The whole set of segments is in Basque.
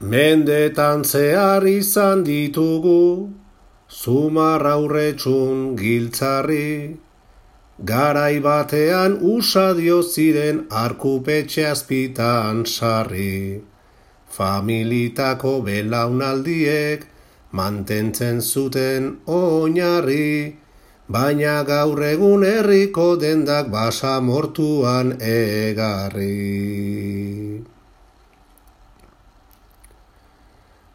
Mendetan zehar izan ditugu, zumarraurretxun giltzarri, garai batean usadio ziren arkupetxe azpitan sarri. Familitako belaunaldiek mantentzen zuten oinarri, baina gaur egun herriko dendak basamortuan egarri.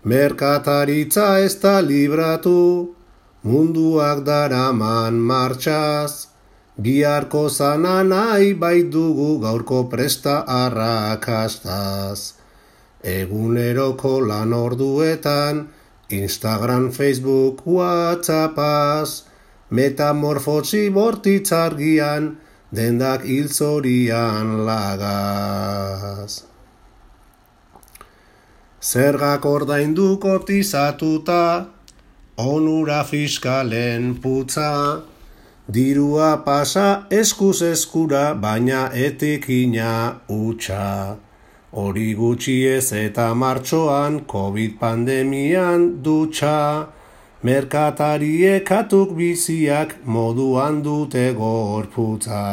Merkataritza ez da libratu, munduak daraman martxaz, biharko zana nahi baitugu gaurko presta arrakastaz. Eguneroko lan orduetan, Instagram, Facebook, WhatsAppaz, metamorfosi bortitzargian, dendak hiltzorian lagaz. Zergak ordaindu kotizatuta, onura fiskalen putza, dirua pasa eskuz eskura, baina etekina hutsa. Hori gutxi ez eta martxoan, COVID pandemian dutxa, merkatariek katuk biziak moduan dute gorputza.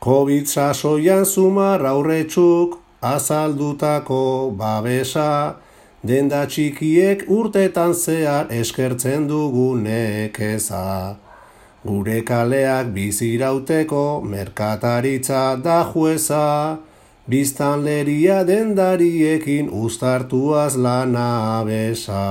COVID sasoian zumarraurretxuk azaldutako babesa, denda txikiek urtetan zehar eskertzen dugu nekeza. Gure kaleak bizirauteko merkataritza da jueza, biztanleria dendariekin uztartuaz lana besa.